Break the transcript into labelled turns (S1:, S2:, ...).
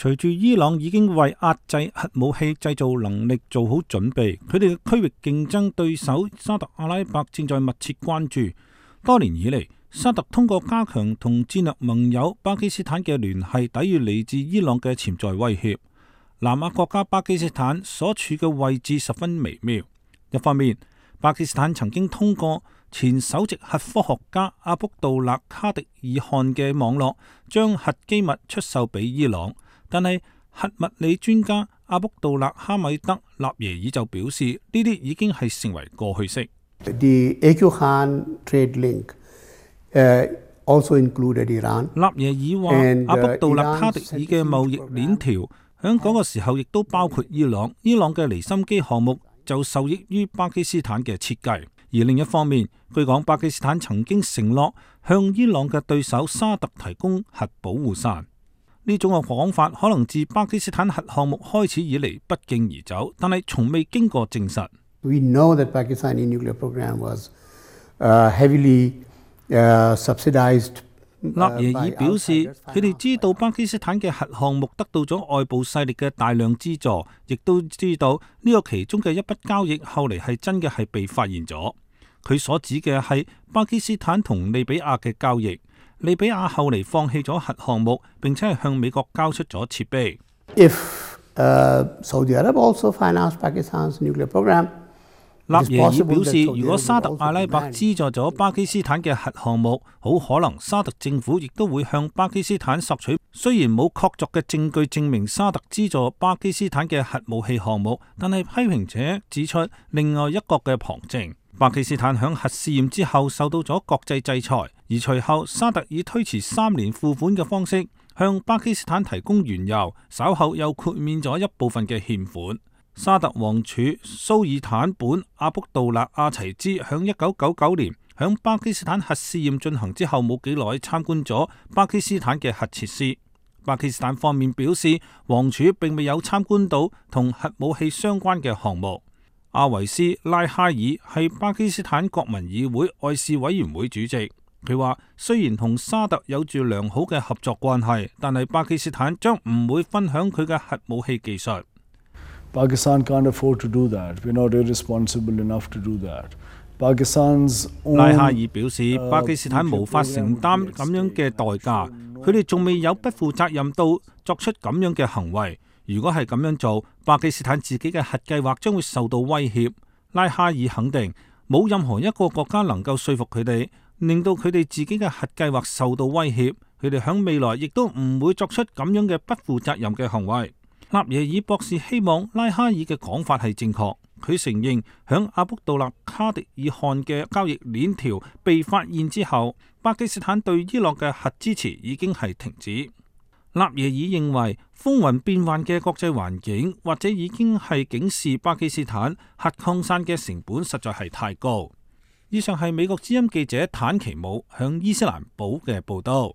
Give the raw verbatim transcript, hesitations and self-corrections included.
S1: 隨住伊朗已經為壓制核武器製造能力做好準備，佢哋嘅區域競爭對手沙特阿拉伯正在密切關注。多年以嚟，沙特通過加強同戰略盟友巴基斯坦嘅聯繫，抵禦嚟自伊朗嘅潛在威脅。南亞國家巴基斯坦所處嘅位置十分微妙。一方面，巴基斯坦曾經通過前首席核科學家阿卜杜勒卡迪爾汗嘅網絡，將核機密出售俾伊朗。但係核物理專家阿卜杜勒哈米德納耶爾就表示，呢啲已經係成為過去式。
S2: The A Q Khan trade link, uh, also included Iran.
S1: 納耶爾話，阿卜杜勒卡迪爾嘅貿易鏈條喺嗰個時候亦都包括伊朗。伊朗嘅離心機項目就受益於巴基斯坦嘅設計。而另一方面，據講巴基斯坦曾經承諾向伊朗嘅對手沙特提供核保護傘。呢種嘅講法可能自巴基斯坦核項目開始以嚟不脛而走，但係從未經過證實。
S2: We know that Pakistani nuclear program was, uh, heavily, uh, subsidized.
S1: 納耶爾表示，佢哋知道巴基斯坦嘅核項目得到咗外部勢力嘅大量資助，亦都知道呢個其中嘅一筆交易後嚟係真嘅係被發現咗。佢所指嘅係巴基斯坦同利比亞嘅交易。利比亞後嚟放棄咗核項目，並且係向美國交出咗設備。
S2: If, uh, Saudi Arab also financed Pakistan's nuclear program,
S1: 納耶爾表示，如果沙特阿拉伯資助咗巴基斯坦嘅核項目，好可能沙特政府亦都會向巴基斯坦索取。雖然冇確鑿嘅證據證明沙特資助巴基斯坦嘅核武器項目，但係批評者指出另外一個嘅旁證。巴基斯坦響核試驗之後受到咗國際制裁，而隨後沙特以推遲三年付款嘅方式向巴基斯坦提供原油，稍後又豁免咗一部分嘅欠款。沙特王儲蘇爾坦本阿卜杜勒阿齊茲響一九九九年響巴基斯坦核試驗進行之後冇幾耐參觀咗巴基斯坦嘅核設施。巴基斯坦方面表示，王儲並未有參觀到同核武器相關嘅項目。阿維斯拉哈爾係巴基斯坦國民議會外事委員會主席，佢話雖然同沙特有住良好嘅合作關係，但係巴基斯坦將唔會分享佢嘅核武器技術。
S3: Pakistan can't afford to do that. We're not irresponsible enough to do that. Pakistan's own,
S1: 拉哈爾表示，巴基斯坦無法承擔咁樣嘅代價，佢哋仲未有不負責任到作出咁樣嘅行為。如果係咁樣做，巴基斯坦自己嘅核計劃將會受到威脅。拉哈爾肯定冇任何一個國家能夠說服佢哋，令到佢哋自己嘅核計劃受到威脅。佢哋響未來亦都唔會作出咁樣嘅不負責任嘅行為。納耶爾博士希望拉哈爾嘅講法係正確。佢承認響阿卜杜勒卡迪爾汗嘅交易鏈條被發現之後，巴基斯坦對伊朗嘅核支持已經係停止。納耶爾認為風雲變幻嘅國際環境，或者已經係警示巴基斯坦核擴散嘅成本實在係太高。以上係美國之音記者坦奇姆響伊斯蘭堡嘅報道。